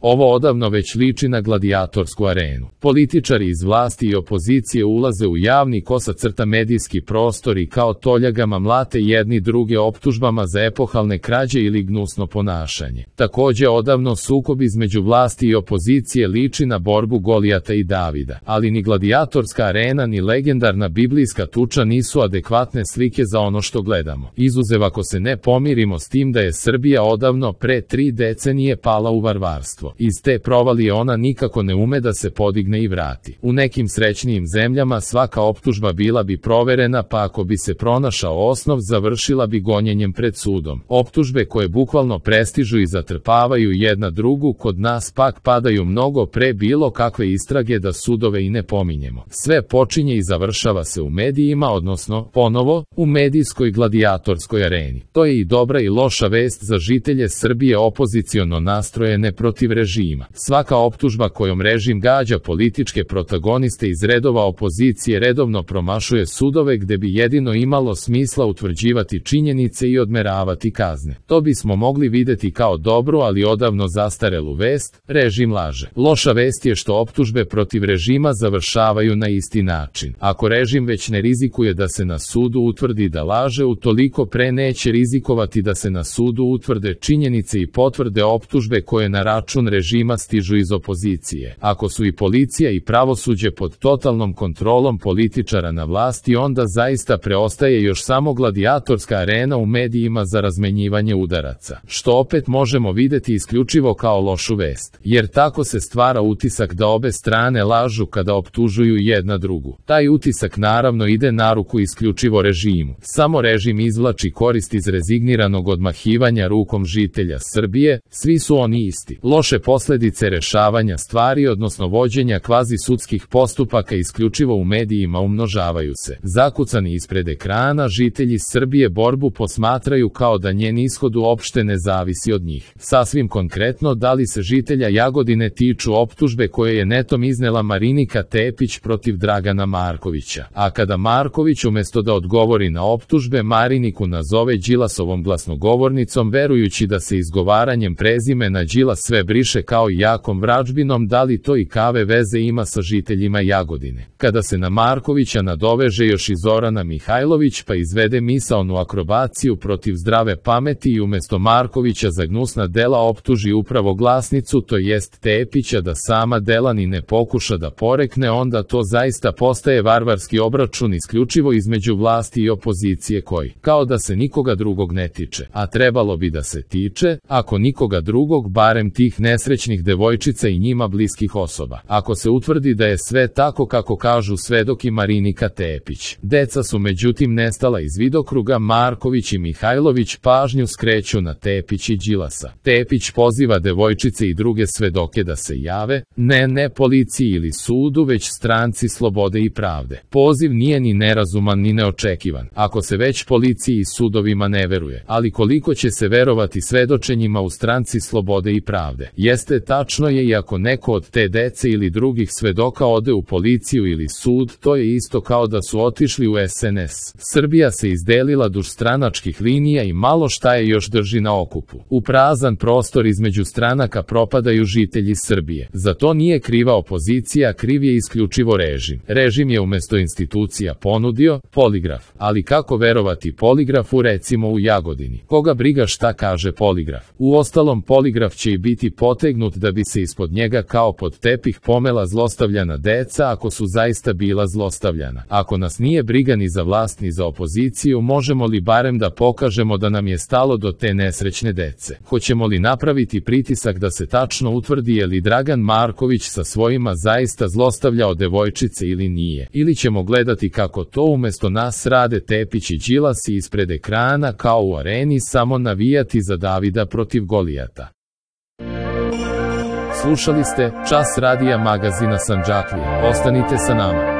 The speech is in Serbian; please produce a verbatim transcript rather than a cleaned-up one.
Ovo odavno već liči na gladijatorsku arenu. Političari iz vlasti i opozicije ulaze u javni kosa crta medijski prostor i kao toljagama mlate jedni druge optužbama za epohalne krađe ili gnusno ponašanje. Takođe odavno sukob između vlasti i opozicije liči na borbu Golijata i Davida, ali ni gladijatorska arena ni legendarna biblijska tuča nisu adekvatne slike za ono što gledamo. Izuzev ako se ne pomirimo s tim da je Srbija odavno pre tri decenije pala u varvarstvo. Iz te provalije ona nikako ne ume da se podigne i vrati. U nekim srećnijim zemljama svaka optužba bila bi proverena, pa ako bi se pronašao osnov završila bi gonjenjem pred sudom. Optužbe koje bukvalno prestižu i zatrpavaju jedna drugu kod nas pak padaju mnogo pre bilo kakve istrage da sudove i ne pominjemo. Sve počinje i završava se u medijima, odnosno, ponovo, u medijskoj gladijatorskoj areni. To je i dobra i loša vest za žitelje Srbije opoziciono nastrojene protiv režima. Svaka optužba kojom režim gađa političke protagoniste iz redova opozicije redovno promašuje sudove gde bi jedino imalo smisla utvrđivati činjenice i odmeravati kazne. To bismo mogli videti kao dobru, ali odavno zastarelu vest, režim laže. Loša vest je što optužbe protiv režima završavaju na isti način. Ako režim već ne rizikuje da se na sudu utvrdi da laže, utoliko pre neće rizikovati da se na sudu utvrde činjenice i potvrde optužbe koje na račun režima stižu iz opozicije. Ako su i policija i pravosuđe pod totalnom kontrolom političara na vlasti, onda zaista preostaje još samo gladijatorska arena u medijima za razmenjivanje udaraca, što opet možemo videti isključivo kao lošu vest, jer tako se stvara utisak da obe strane lažu kada optužuju jedna drugu. Taj utisak naravno ide na ruku isključivo režimu. Samo režim izvlači korist iz rezigniranog odmahivanja rukom žitelja Srbije, svi su oni isti. Loše posledice rešavanja stvari, odnosno vođenja kvazi sudskih postupaka isključivo u medijima umnožavaju se. Zakucani ispred ekrana, žitelji Srbije borbu posmatraju kao da njen ishod uopšte ne zavisi od njih. Sasvim konkretno, da li se žitelja Jagodine tiču optužbe koje je netom iznela Marinika Tepić protiv Dragana Markovića. A kada Marković umesto da odgovori na optužbe, Mariniku nazove Đilasovom glasnogovornicom, verujući da se izgovaranjem prezimena Đilas sve briše kao i jakom vražbinom, da li to i kave veze ima sa žiteljima Jagodine. Kada se na Markovića nadoveže još i Zorana Mihajlović pa izvede misaonu akrobaciju protiv zdrave pameti i umesto Markovića za gnusna dela optuži upravo glasnicu, to jest Tepića, da sama dela ni ne pokuša da porekne, onda to zaista postaje varvarski obračun isključivo između vlasti i opozicije koji, kao da se nikoga drugog ne tiče, a trebalo bi da se tiče, ako nikoga drugog, barem tih nesrećnih devojčica i njima bliskih osoba. Ako se utvrdi da je sve tako kako kažu svedok i Marinika Tepić. Deca su međutim nestala iz vidokruga, Marković i Mihajlović pažnju skreću na Tepić i Đilasa. Tepić poziva devojčice i druge svedoke da se jave, ne ne policiji ili sudu, već stranci Slobode i pravde. Poziv nije ni nerazuman ni neočekivan, ako se već policiji i sudovima ne veruje, ali koliko će se verovati svedočenjima u stranci Slobode i pravde? Jeste, tačno je, i ako neko od te dece ili drugih svedoka ode u policiju ili sud, to je isto kao da su otišli u es en es. Srbija se izdelila duž stranačkih linija i malo šta je još drži na okupu. U prazan prostor između stranaka propadaju žitelji Srbije. Za to nije kriva opozicija, kriv je isključivo režim. Režim je umesto institucija ponudio poligraf. Ali kako verovati poligrafu recimo u Jagodini? Koga briga šta kaže poligraf? Uostalom, poligraf će i biti potegnut da bi se ispod njega kao pod tepih pomela zlostavljana deca, ako su zaista bila zlostavljana. Ako nas nije briga ni za vlast ni za opoziciju, možemo li barem da pokažemo da nam je stalo do te nesrećne dece? Hoćemo li napraviti pritisak da se tačno utvrdi je li Dragan Marković sa svojima zaista zlostavljao devojčice ili nije? Ili ćemo gledati kako to umesto nas rade Tepić i Đilas i ispred ekrana kao u areni samo navijati za Davida protiv Golijata? Slušali ste Čas radija magazina Sandžaklija. Ostanite sa nama.